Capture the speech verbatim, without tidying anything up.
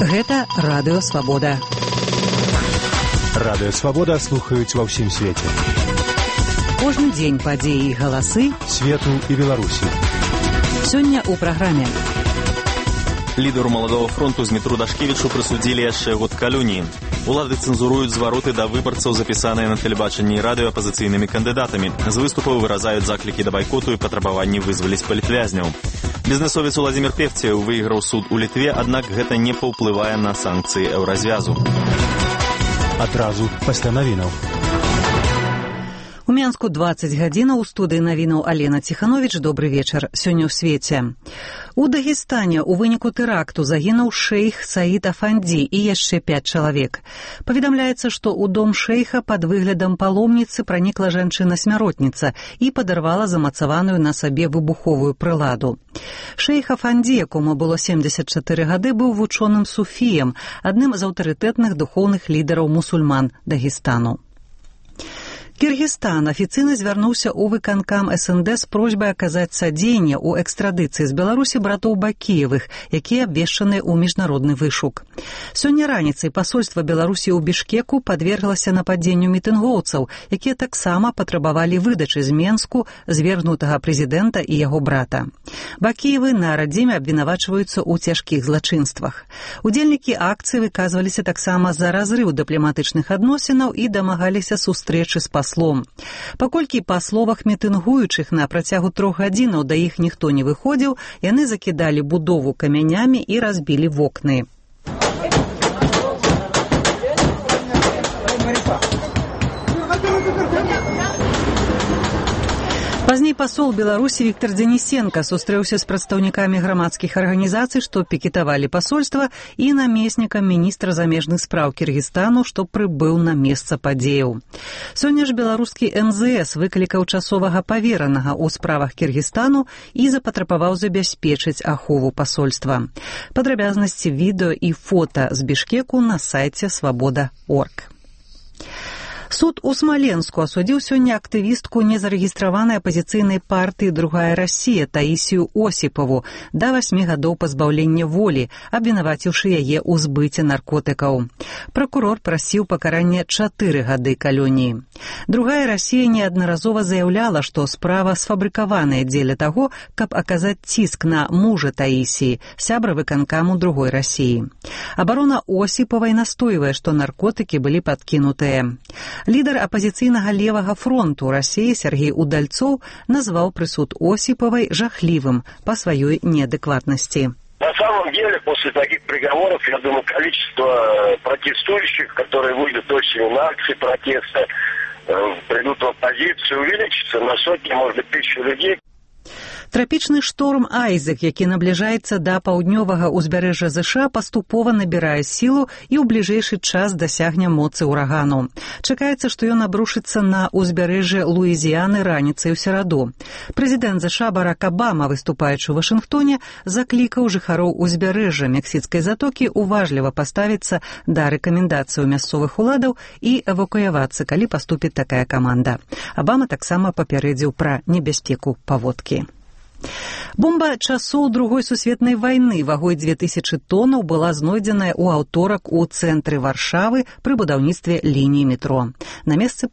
Гэта Радыё Свабода. Радыё Свабода слухаюць ва ўсім свеце. Кожны дзень падзеі і галасы свету і Беларусі. Сёння ў праграме. Лідару Маладога фронту Змітру Дашкевічу прысудзілі яшчэ год калоніі. Улады цэнзуруюць звароты да выбарцаў, запісаныя на тэлебачанні і радыё апазіцыйнымі кандыдатамі. З выступаў выразаюць заклікі да байкоту і патрабаванні вызваліць палітвязняў. Бізнесовец Уладзімір Певцеў выйграў суд у Літве, аднак гэта не паўплывае на санкцыі еўразвязу. Адразу пасля навінаў. У Мінску дваццаць гадзінаў, у студыі навінаў Алена Ціхановіч. Добры вечар. Сёння ў свеце. У Дагестане ў выніку тэракту загінуў шэйх Саід Афанді і яшчэ пяць чалавек. Паведамляецца, што ў дом шэйха пад выглядам паломніцы пранікла жанчына-смяротніца і падарвала замацаваную на сабе выбуховую прыладу. Шэйх Афанді, якому было семдзесят чатыры гады, быў вучоным суфіем, адным з аўтарытэтных духоўных лідараў мусульман Дагестану. Кыргызстан афіцыйна звярнуўся ў выканкам эс эн дэ з просьбай аказаць садзейнне ў экстрадыцыі з Беларусі братоў Бакіевых, якія абвешчаныя ў міжнародны вышук. Сёння раніцай пасольства Беларусі ў Бішкеку падверглася нападзенню мітынгоўцаў, якія таксама патрабавалі выдачы з Менску звергнутага прэзідэнта і яго брата. Бакіевы на радзіме абвінавачваюцца ў цяжкіх злачынствах. Удзельнікі акцыі выказваліся таксама за разрыў дыпламатычных адносінаў і дамагаліся сустрэчы з паслом. Паколькі па словах мітынгуючых на працягу трох гадзінаў да іх ніхто не выходзіў, яны закідалі будову камянямі і разбілі вокны. Пазней пасол Беларусі Віктор Дзенісенка сустрэўся з прадстаўнікамі грамадскіх арганізацый, што пікетавалі пасольства, і намеснікам міністра замежных спраў Кыргызстану, што прыбыў на месца падзеяў. Сёння ж беларускі эм зэ эс выклікаў часовага паверанага ў справах Кыргызстану і запатрабаваў забяспечыць ахову пасольства. Падрабязнасці відэо і фота з Бішкеку на сайце свабода крапка орг. Суд у Смаленску асудзіў сёння актывістку незарэгістраванай апазіцыйнай партыі «Другая Россия» Таісію Осіпаву да васьмі гадоў пазбаўлення волі, абвінаваціўшы яе ў збыце наркотыкаў. Пракурор прасіў пакарання чатыры гады калоніі. «Другая Россия» неаднаразова заяўляла, што справа сфабрыкаваная дзеля таго, каб аказаць ціск на мужа Таісіі, сябра выканкаму «Другой России». Абарона Осіпавай настойвае, што наркотыкі былі падкінутыя. Лідар апазіцыйнага левага фронту России Сергей Удальцов назвал прысуд Осиповой жахливым по своей неадекватности. На самом деле, после таких приговоров, я думаю, количество протестующих, которые выйдут очень на акции протеста, придут в оппозицию, увеличится на сотни, может быть, тысячи людей. Трапічны шторм Айзек, які набліжаецца да паўднёвага ўзбярэжжа ЗША, паступова набірае сілу і ў бліжэйшы час дасягне моцы ўрагану. Чакаецца, што ён абрушыцца на ўзбярэжжа Луізіяны раніцай у сераду. Прэзідэнт ЗША Барак Абама, выступаючы ў Вашынгтоне, заклікаў жыхароў узбярэжжа Мексіцкай затокі уважліва паставіцца да рэкамендацыяў мясцовых уладаў і эвакуявацца, калі паступіць такая каманда. Абама таксама папярэдзіў пра небяспеку паводкі. Бомба часоў Другой сусветнай вайны вагой дзве тысячы тоннаў была знойдзеная ў аўторак у цэнтры Варшавы пры будаўніцтве лініі метро. На месцы